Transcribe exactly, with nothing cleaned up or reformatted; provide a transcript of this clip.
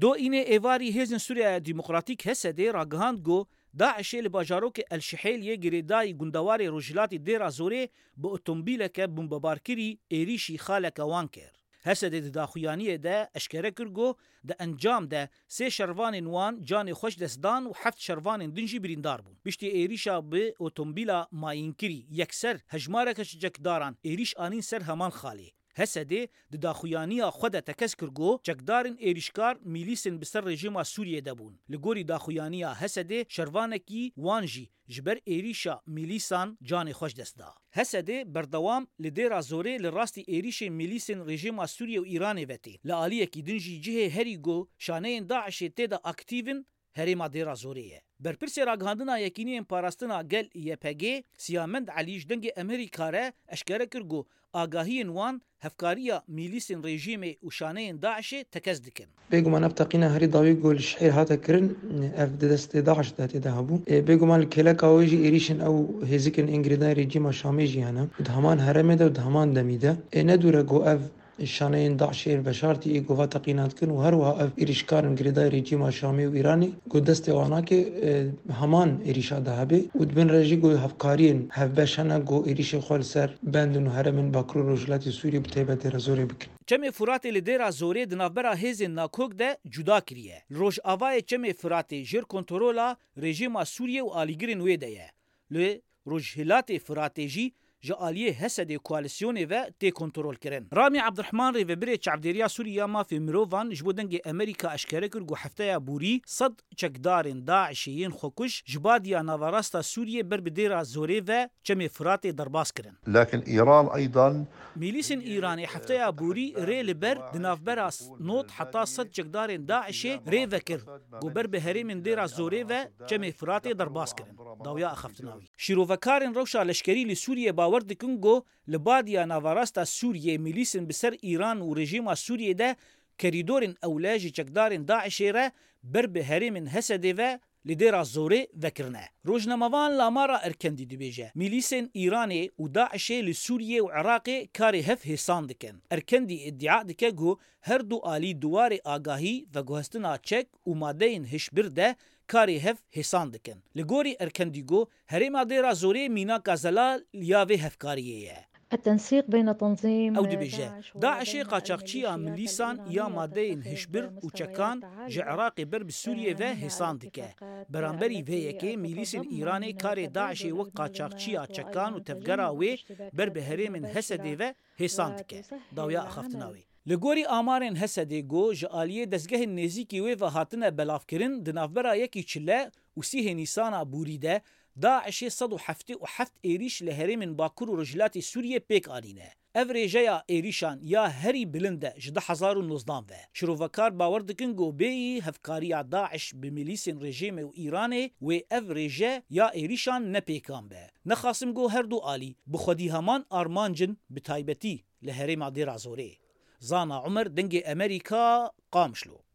Do înê êvarî Hêzên Sûriya Demokratîk H S D ragihand ku DAIŞê li bajarokê El Şihêl yê girêdayî gundewarê rojhilatî Dêra Zorê bi otomobîleke bombebarkirî êrîşî xaleke wan kir. H S D di daxuyaniyê de eşkere kir ku di encam de sê şervanên wan canê xwe ji dest dan û heft şervanên din jî birîndar bûn. Piştî êrîşa bi otomobîla mayînkirî yekser hejmareke ji çekdaran êrîş anîn ser heman xalê. H S D di daxuyaniya xwe de tekez kir ku çekdarên êrîşkar mîlîsên bi ser rejîma Sûriyê de bûn. Li gorî daxuyaniya H S D şervanekî wan jî ji ber êrîşa mîlîsan canê xwe ji dest da. H S D berdewam li Dêra Zorê li rastî êrîşên mîlîsên rejîma Sûriye û Îranê ve tê. Li aliyekî din jî cihê herî ku şaneyên DAIŞê tê de aktîv in, herêma Dêra Zorê ye. Berpirsê ragihandina Yekîniyên Parastina Gel Y P G, Siyamend Elî ji Dengê Amerîka re eşkere kir ku agahiyên wan hevkariya mîlîsên rejîmê û şaneyên DAIŞê tekez dikin. Bêguman ev teqîna herî dawî ku li Şihêr hate kirin, ev di destê DAIŞ de tê de hebû. Ê, bêguman li kêleka wê jî êrîşên ew hêzikên ên girêdayî rejîma Şamê jî hene. Di heman herêmê de û di heman demî de. Ê, ne dûr e ku ev şaneyên DAIŞê yên veşartî ê ku va teqîna dikin û her wiha ev êrîşkarên girêdayî rejîma Şamê û Îranê ku destê wan nake, e, heman êrîşa de hebe û di bin re jî ku hevkariyên hevbeş hene ku êrîşên xwe li ser bendin û herêmên Bakur û Rojhilatê Sûriyê bi taybet Dêra Zorê bikin. Çemê Furatê li Dêra Zorê di navbera hêzên nakok de cuda kiriye. Li rojavayê Çemê Furatê jêr kontrola rejîma Sûriyê û alîgirên wê de ye. Li Rojhilatê Firatê jî ji aliyê H S D koalîsyonê ve tê kontrolkirin. Ramî Ebdirehman, rêvebirê Çavdêriya Sûrî ya Mafê Mirovan, ji bo Dengê Amerîka eşkere kir ku hefteya borî sed çekdarên DAIŞê yên xwekuj ji Badiya Navarasta Sûriyê ber bi Dêra Zorê ve Çemê Firatê derbas kirin. لكن إيران أيضًا Mîlîsên Îranê hefteya borî rê li ber di navbera not heta sed çekdarên DAIŞê rê vekir ku ber bi herêmên Dêra Zorê ve Çemê Firatê derbas kirin. Dawiya axaftina wî. Şîrovekarên rewşa leşkerî li Sûriyê bawer dikin ku li Badiya Navarasta Sûriyê mîlîsên bi ser Îran û rejîma Sûriyê de kerîdorên ewle ji çekdarên DAIŞê re ber bi herêmên H S D ve li Dêra Zorê vekirine. Rojnamevan Lamara Erkendî dibêje, mîlîsên Îranê û DAIŞê li Sûriyê û Iraqê karê hev hêsan dikin. Erkendî îdia dike ku her du alî di warê agahî, veguhestina çek û madeyên hişbir de karê hev hêsan dikin. Li gorî Erkendî ku herêma Dêra Zorê mînaka zelal ya vê hevkariyê ye. التنسيق بين تنظيم Ew dibêje, DAIŞê qaçaxçiya milîsan ya madeyên hişbir û çekan ji Iraqê ber bi Sûriyê ve hêsan dike. Beramberî vê yekê, mîlîsên Îranê karê DAIŞê wek qaçaxçiya çekan û tevgera wê ber bi herêmên H S D ve hêsan dike. Dawiya axaftina wê. Li gorî amarên H S D ku ji aliyê dezgehên nêzîkî wê ve hatine belavkirin, di navbera yekî çile û sîhê Nîsana borî de DAIŞê sed û heftê û heft êrîş li herêmên Bakur û Rojhilatê Sûriyê pêk anîne. Ev rêjeya êrîşan ya herî bilind e ji du hezar û nozdan ve. Şirovekar bawer dikin ku bêyî hevkariya DAIŞ bi milîsên rejîmê û Îranê wê ev rêje ya êrîşan ne pêkan be. Nexasim ku her du alî bi xwedî heman armanc in, bi taybetî li herêma Dêra Zorê. Zana Umer, Dengê Amerîka, Qamişlo.